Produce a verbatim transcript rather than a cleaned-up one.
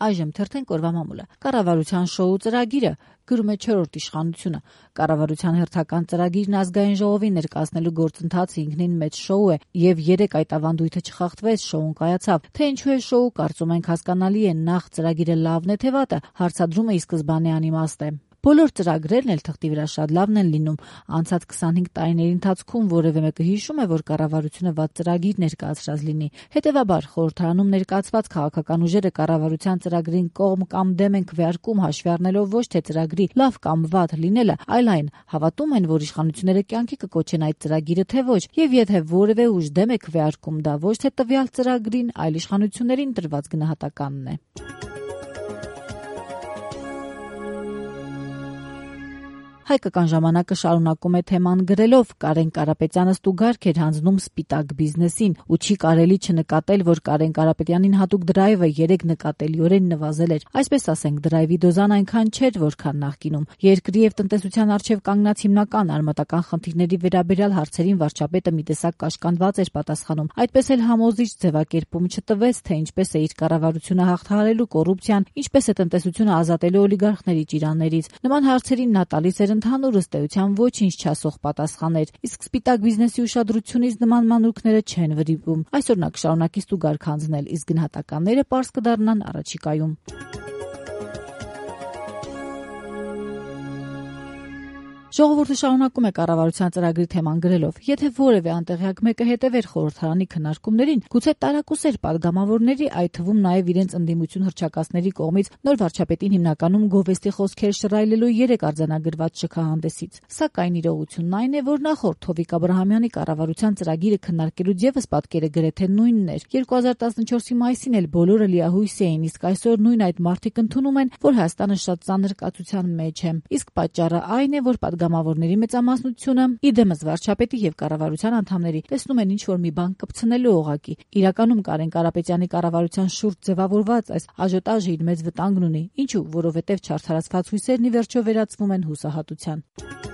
Այժմ թերթենք օրվա մամուլը։ Կառավարության շոու ծրագիրը գրում է չորրորդ իշխանությունը։ Կառավարության հերթական ծրագիրն ազգային ժողովին ներկայացնելու գործընթացը ինքնին մեծ շոու է, եւ երեք այդ ավանդույթը չխախտվեց, շոուն կայացավ։ Թե ինչու է շոու, կարծում ենք հասկանալի է, նախ ծրագիրը լավն է թե վատը, հարցադրումը ի սկզբանե անիմաստ է։ Բոլոր ծրագրերն էլ թղթի վրա շատ լավն են լինում։ Անցած քսանհինգ տարիների ընթացքում որևէ մեկը հիշում է, որ կառավարությունը վատ ծրագիր ներկայացրած լինի։ Հետևաբար խորհրդարանում ներկայացված քաղաքական ուժերը կառավարության ծրագրին կողմ կամ դեմ են քվեարկում, հաշվի առնելով ոչ թե ծրագրի լավ կամ վատ լինելը, այլ այն, հավատում են, որ իշխանությունները կյանքի կկոչեն այդ ծրագիրը թե ոչ, եւ եթե որևէ ուժ դեմ է քվեարկում, դա ոչ թե տվյալ ծրագրին, այլ իշխանություններին տրված գնահատականն է։ Հայկական ժամանակը շարունակում է թեման գրելով. Կարեն Կարապետյանը ստուգարք էր հանձնում սպիտակ բիզնեսին ու չի կարելի չնկատել, որ Կարեն Կարապետյանին հատուկ դրայվը երեք նկատելիորեն նվազել էր։ Այսպես ասենք, դրայվի դոզան այնքան չէր, որքան նախկինում։ Երկրի եւ տնտեսության առջեւ կանգնած հիմնական արմատական խնդիրների վերաբերյալ հարցերին վարչապետը մի տեսակ կաշկանդված էր պատասխանում։ Այդպես էլ համոզիչ ձևակերպում չտվեց, թե ինչպես է իր կառավարությունը հաղթահարելու կոռուպցիան, ինչպես է տնտեսությունը ազատելու օլիգարխների ճիրաններից։ Նման հարցերին նա տալիս էր ընդհանուր ըստ էության ոչինչ չասող պատասխաներ, իսկ սպիտակ բիզնեսի ուշադրությունից նման մանրուքները չեն վրիպում։ Այսօր նա կշարունակի ստուգարք հանձնել, իսկ գնահատականները պարզ կդառնան առաջիկայում։ Ժողովուրդը շարունակում է կառավարության ծրագրի թեման գրելով. Եթե որևէ անտեղյակ մեկը հետևեր խորհրդարանի քննարկումներին, գուցե տարակուսեր падգամավորների, այդ թվում նաև իրենց ընդդիմություն հռչակածների կողմից նոր վարչապետին հիմնականում գովեստի խոսքեր շռայլելու երեք արձանագրված շքահանդեսից։ Սակայն իրողությունն այն է, որ նախորդ Հովիկ Աբրահամյանի կառավարության ծրագիրը քննարկելուց ևս պատկերը գրեթե նույնն էր։ երկու հազար տասնչորսի մայիսին էլ բոլորը լիահույս էին, իսկ այսօր նույն այդ մարդիկ ընդունում են, որ Հայաստանը շատ ծանր կացության մեջ է։ Իսկ պատճառը այն է, որ Գամավորների մեծամասնությունը իդեմս վարչապետի եւ կառավարության անդամների տեսնում են ինչ-որ մի բան կպցնելու օղակի։ Իրականում Կարեն Կարապետյանի կառավարության շուրջ ձևավորված այս աժոտաժը իր մեծ վտանգն ունի, ինչու, որովհետեւ չարդարացված հույսերն ի վերջո վերածվում են հուսահատության։